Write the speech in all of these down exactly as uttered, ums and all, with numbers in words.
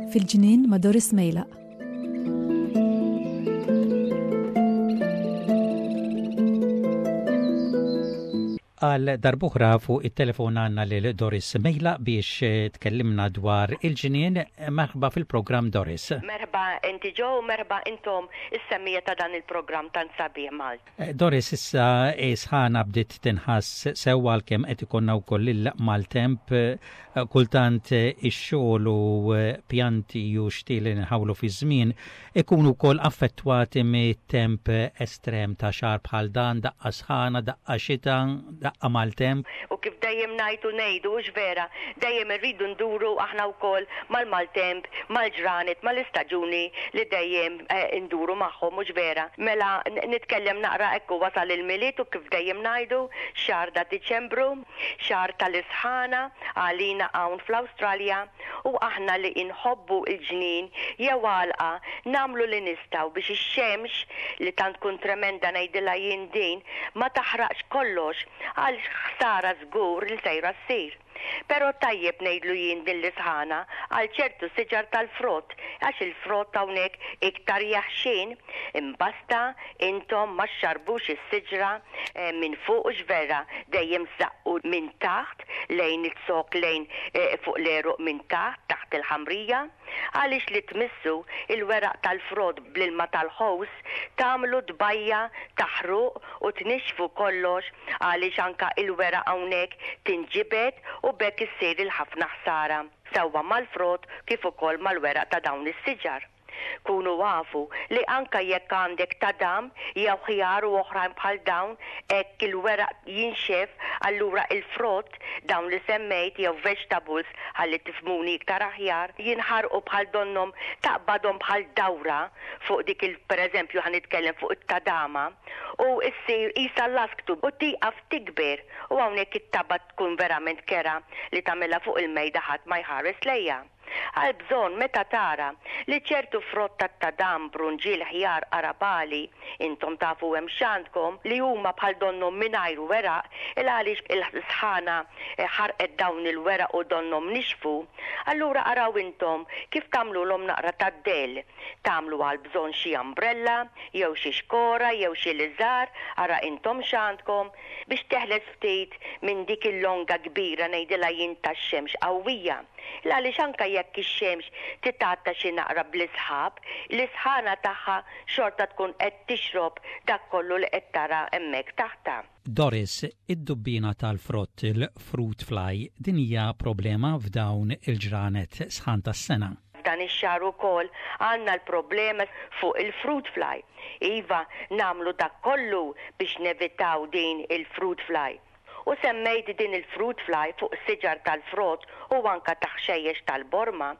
Fil-ġnien ma' Doris Mejlaq. Għal darb'oħra fuq it-telefon għandna lil Doris Mejlaq biex eh, tkellimna dwar il-ġnien. Merħba fil-programm, Doris. Merħba inti Joe, merħba intom is-semmiegħa ta' dan il-programm tant sabiħ Malt. Eh, Doris, issa sħana bdiet tinħass sewwa għalkemm qed ikollna wkoll il-maltemp, eh, kultant ix-xogħol u pjanti u xtieli nħawlu fi żmien ikunu wkoll affettwati mit-temp estrem ta' xahar bħal dan, daqqa sħana, daqqa xita, daqqa maltemp. U kif dejjem ngħidu ngħidu hux vera, dejjem irridu nduru aħna wkoll mal-maltemp, mal-ġranet, mal-istaġuni li dejjem eh, nduru magħhom, mhux vera. Mela nitkellem naqra ekku wasal il-Milied u kif dejjem ngħidu xahar ta' Diċembru, xahar tal-isħana għalina hawn fl-Awstralja u aħna li inħobbu il-ġnien jew għalqa nagħmlu li nistgħu biex ix-xemx li tant tkun tremenda, ngħidilha jien din, ma taħraqx kollox għal ħsara żgur li sejra ssir. Però tajjeb ngħidlu jien din l-isħana għal ċertu siġar tal-frott, għax il-frott hawnhekk iktar jaħxin, imbasta intom ma xxarbux is-siġra eh, minn fuq, hux vera, dejjem saqqu minn taħt lejn iz-zokk, lejn eh, fuq l-għeruq minn taħt, taħt il-ħamrija, għaliex li tmissu il-weraq tal-frott bl-ilma tal-ħows tagħmlu tbajja taħruq u tnixxfu kollox, għaliex anka il-weraq hawnhekk tinġibed u bekk issir il-ħafna ħsara sewwa mal-frott kif ukoll mal-weraq ta' dawn is-siġar. Kunu afu li anka jekk għandek tadam jew ħjar u oħrajn bħal dawn, hekk il-weraq jinxef, allura il-frott dawn li semmejt jew vegetables, ħalli tifhmuni iktar aħjar, jinħarqu bħal donnom taqbadhom bħal dawra fuq dik il pereżempju ħa nitkellem fuq it-tadama u issir isa lasktu u tieqaf tikber u hawnhekk it-taba tkun verament kerha li tagħmilha fuq il-mejda, ħadd ma jħares lejha. Għal bżonn meta tara li ċertu frott tat-tadam, brunġiel, ħjar, qarabagħli, intom tafu hemm x'għandkom, li huma bħal donnom mingħajr weraq, il għaliex il-sħana ħarqet dawn il-weraq u donnom nixfu, allura araw intom kif tagħmluhom naqra tad-dell. Tagħmlu għal bżonn xi umbrella, jew xi xkora, jew xi liżar, ara intom x'għandkom biex teħles ftit minn dik il-longa kbira, ngħidilha jien, tax-xemx qawwija. Għaliex anka jekk ix-xemx titgħatta xi naqra bl-isħab, l-isħana tagħha xorta tkun qed tixrob dak kollu li qed tara hemmhekk taħta. Doris, id-dubbina tal-frott, il-fruit fly, din hija problema f'dawn il-ġranet sħan tas-sena. F'dan ix-xahar ukoll għandna l-problema fuq il-fruit fly. Iva, nagħmlu dak kollu biex nevitaw din il-fruit fly. U semmejt din il-fruit fly fuq siġar tal-frott u anka taħxejjex tal-borma.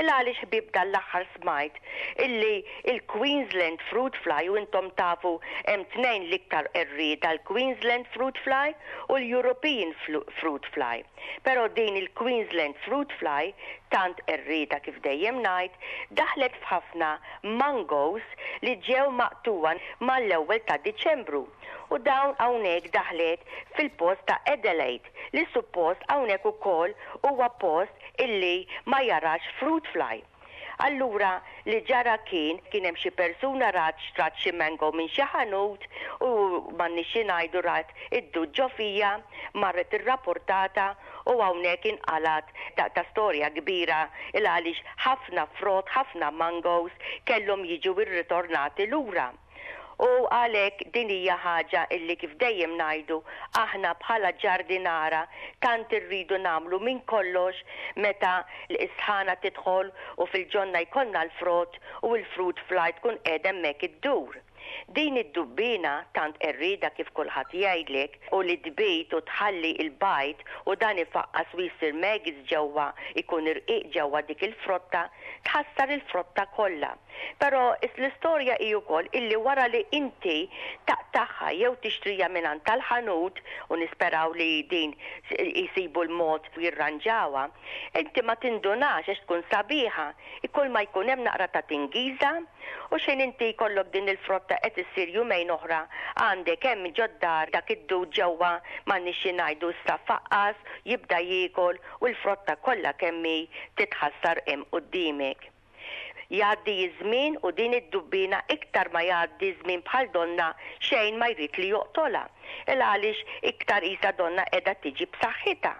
Il għaliex ħbieb dal-aħħar smajt illi il-Queensland fruit fly, u intom tafu hemm tnejn l-iktar qerrieda, l-Queensland fruit fly u l-European fruit fly. Però din il-Queensland fruit fly tant qerrieda, kif dejjem ngħid, daħlet f'ħafna mangoes li ġew maqtuwa mal-ewwel ta' Diċembru. U dawn hawnhekk daħlet fil-post ta' Adelaide li suppost hawnhekk ukoll huwa post illi ma jarax fruit fly. Allura li ġara kien kien hemm xi persuna rat xtrat xi mango minn xi ħanut u m'għandniex ngħidu rat id-dud ġo fiha, marret irrapportata u hawnhekk inqalat ta', ta storja kbira il għaliex ħafna frott, ħafna mangoes kellhom jiġu irritornati lura. U għalhekk din hija ħaġa illi kif dejjem ngħidu aħna bħala ġardinara tant irridu nagħmlu minn kollox meta l-isħana tidħol u fil-ġonna jkollna l-frott u l-fruit fly tkun qiegħda hemmhekk iddur. Din id-dubbina tant qerrieda, kif kulħadd jgħidlek, u li tbid u tħalli il-bajd u dan ifaqqas u jsir maggots ġewwa, ikun irqiq ġewwa dik il-frotta, tħassar il-frotta kollha. Però l-istorja hi wkoll illi wara li inti taqtagħha jew tixtrija minn tal-ħanut, u nisperaw li din jisibu l-mod jirranġawha, inti ma tindunax għax tkun sabiħa. Ikun ma jkun hemm naqra ta' tingiża u xejn inti jkollok din il-frotta. Allura qed issir jumejn oħra għandek hemm ġod-dar dak id-dud ġewwa, m'għandniex xi ngħidu, issa faqqas, jibda jiekol u l-frotta kollha kemm hi titħassar hemm quddiemek. Jgħaddi iż-żmien u din id-dubbina, iktar ma jgħaddi żmien, bħal donna xejn ma jrid li joqtolha. Il għaliex iktar isa donna qiegħda tiġi b'saħħitha.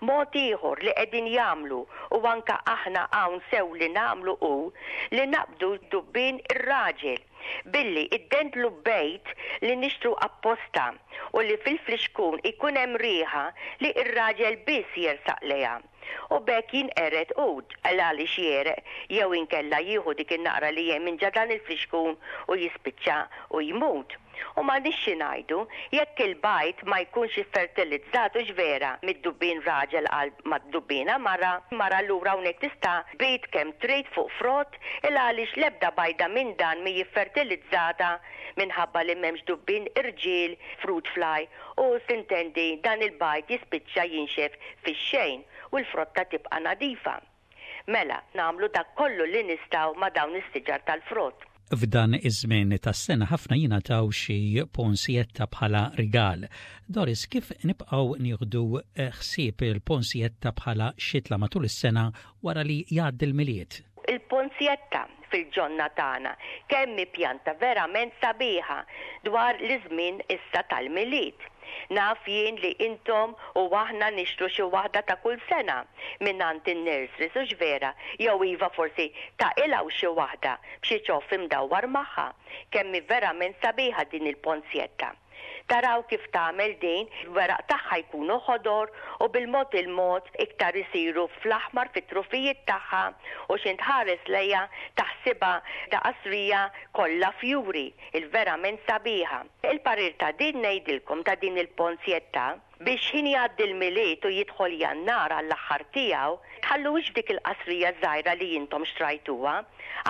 Mod ieħor li qegħdin jagħmlu, u anka aħna hawn sew li nagħmlu, hu li naqbdu dubbin ir-raġel billi iddendlu bejt li nixtru apposta u li fil-flixkun ikun hemm riħa li ir-raġel biss jersaq lejha. U b'hekk jinqered u għaliex jegħreq jew inkella jieħu dik in-naqra li hemm minn dan il-flixkun u jispiċċa u jmut. U m'għandniex xi ngħidu, jekk il-bajd ma jkunx fertilizzat, hux vera, mid-dubbin raġel għal mad-dubbina mara, mara lura hawnhekk tista' tbid kemm trid fuq frott, il għaliex l-ebda bajda minn dan mi fertilizzata minħabba li m'hemmx dubbin irġiel, fruit fly, u s'intendi dan il-bajd jispiċċa jinxef fix-xejn u l-frotta tibqa' nadifa. Mela, nagħmlu dak kollu li nistgħu ma' dawn is-siġar tal-frott. F'dan iż-żmien tas-sena ħafna jingħataw xi ponsjetta bħala rigal. Doris, kif nibqgħu nieħdu ħsieb il-ponsjetta bħala xitla matul is-sena wara li jgħaddi l-Milied? Il-ponsjetta fil-ġonna tagħna kemm pjanta verament sabiħa dwar l-żmien issa tal-Milied. Naf jien li intom u aħna nixtru xi waħda ta' kull sena minn għand in-nurseries, hux vera, jew iva forsi taqilgħu xi waħda b'xi ċoff imdawwar magħha. Kemm verament sabiħa din il-ponsjetta. Taraw kif tagħmel din, il-weraq tagħha jkunu ħodor u bil-mod il-mod iktar isiru fl-aħmar fit-trufijiet tagħha, u x'ħin tħares lejha taħsibha ta' qasrija kollha fjuri, il-verament sabiħa. Il-parir ta' din ngħidilkom ta' din il-ponsjetta, biex ħin jgħaddi l-Milied u jidħol Jannar għall-aħħar tiegħu, tħalluhiex dik il-qasrija żgħira li intom xtrajtuha,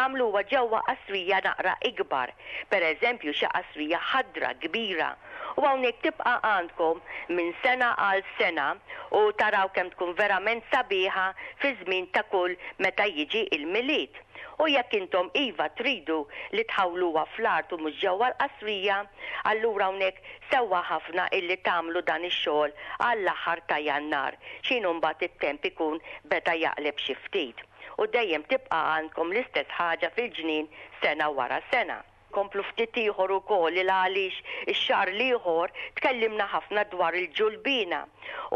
għamluha ġewwa qasrija naqra ikbar, per eżempju xi qasrija ħadra kbira. U hawnhekk tibqa' għandkom minn sena għal sena u taraw kemm tkun verament sabiħa fi żmien ta' kull meta jiġi il-Milied. U jekk intom iva tridu li tħawluha fl-art u mhux ġewwa l-qasrija, allura hawnhekk sewwa ħafna illi tagħmlu dan ix-xogħol għall-aħħar ta' Jannar, x'ħin mbagħad it-temp ikun beda jaqleb xi ftit. U dejjem tibqa' għandkom l-istess ħaġa fil-ġnien sena wara sena. Komplu ftit ieħor ukoll, il għaliex ix-xahar l-ieħor tkellimna ħafna dwar il-ġulbina.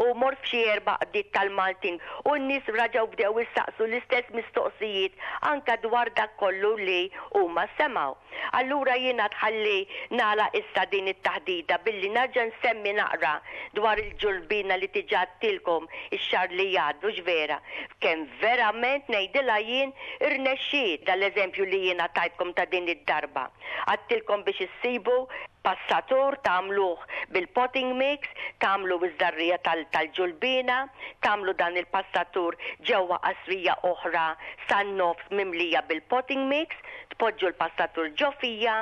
U mort f'xi erba' għaqdiet tal-Maltin u n-nies reġgħu bdew issaqsu l-istess mistoqsijiet anka dwar dak kollu li huma semgħu. Allura jiena tħalli nagħlaq issa din it-taħdida billi nerġa' nsemmi naqra dwar il-ġulbina li diġà għedtilkom ix-xahar li għadda, vera. Kemm verament ngħidilha jien irnexxiet dal-eżempju li jiena tajtkom ta' din id-darba. Għedtilkom biex issibu passatur, tagħmluh bil-potting mix, tagħmlu iż-żerriegħa tal-ġulbina, tagħmlu dan il-passatur ġewwa qasrija oħra san-nofs mimlija bil-potting mix, tpoġġu l-passatur ġo fiha,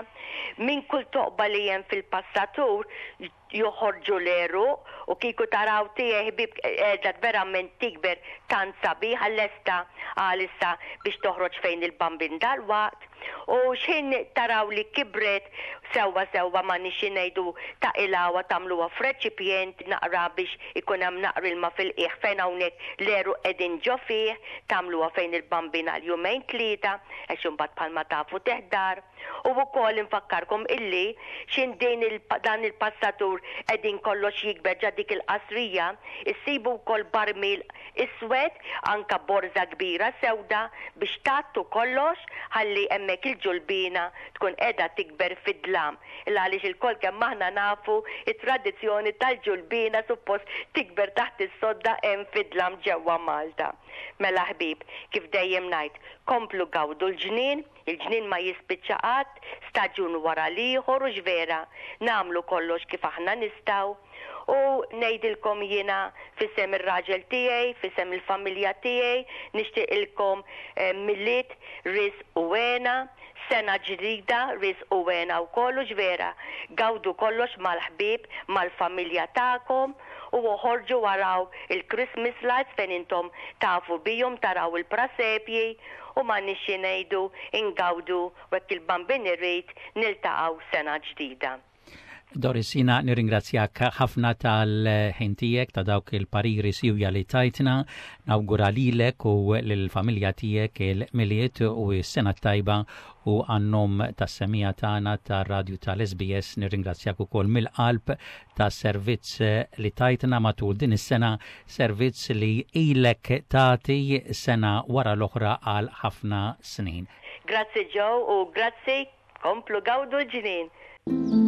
minn kull toqba li hemm fil-passatur joħorġu l-għeruq, u kieku taraw tiegħi, ħbieb, qiegħda verament tikber tant sabiħa, lesta għalissa biex toħroġ fejn il-Bambin dal-waqt. U x'ħin taraw li kibret sewwa sewwa, ma nixi ngħidu, taqilgħuha, tagħmluha f'reċipjent naqra biex ikun hemm naqra ilma fil-qiegħ fejn hawnhekk l-għeruq qegħdin ġo fih, tagħmluha fejn il-Bambin għal jumejn tlieta, għax imbagħad bħalma tafu teħdar. U wkoll infakkarkom illi x'ħin din il dan il-passatur qegħdin kollox jikber ġa dik il-qasrija, issibu wkoll barmil iswed, anka borza kbira sewda biex tgħattu kollox ħalli hemmhekk il-ġulbina tkun qiegħda tikber fid-dlam. Il għaliex ilkoll kemm aħna nafu it-tradizzjoni tal-ġulbina suppost tikber taħt is-sodda hemm fid-dlam ġewwa Malta. Mela ħbieb, kif dejjem ngħid, komplu gawdu l-ġnien, il-ġnien ma jispiċċa qatt, staġun wara l-ieħor, hux vera, nagħmlu kollox kif aħna nistgħu. U ngħidilkom jiena f'isem ir-raġel tiegħi, f'isem il-familja tiegħi, nixtieqilkom eh, Milied, risq u hena, Sena ġdida, riżq u hena u kollox vera. Gawdu kollox mal-ħbieb, mal-familja tagħkom u oħorġu waraw il-Christmas lights fejn intom tafu bihom, taraw il-prasepji u ma nixi ngħidu ingawdu u hekk il-Bambin irid niltaqgħu sena ġdida. Doris, jiena nirringrazzjak ħafna tal-ħin tiegħek, ta' dawk il-pariri siwja li tajtna, nawgura lilek u lill-familja tiegħek il-Milied u s-sena tajba u għan-nom tas-semmiegħa tagħna tar-radju tal-S B S nirringrazzjak ukoll mill-qalb tas-servizz li tajtna matul din is-sena, servizz li ilek tagħti sena wara l-oħra għal ħafna snin. Grazzi, Joe, u grazzi, komplu gawdu l-ġnien.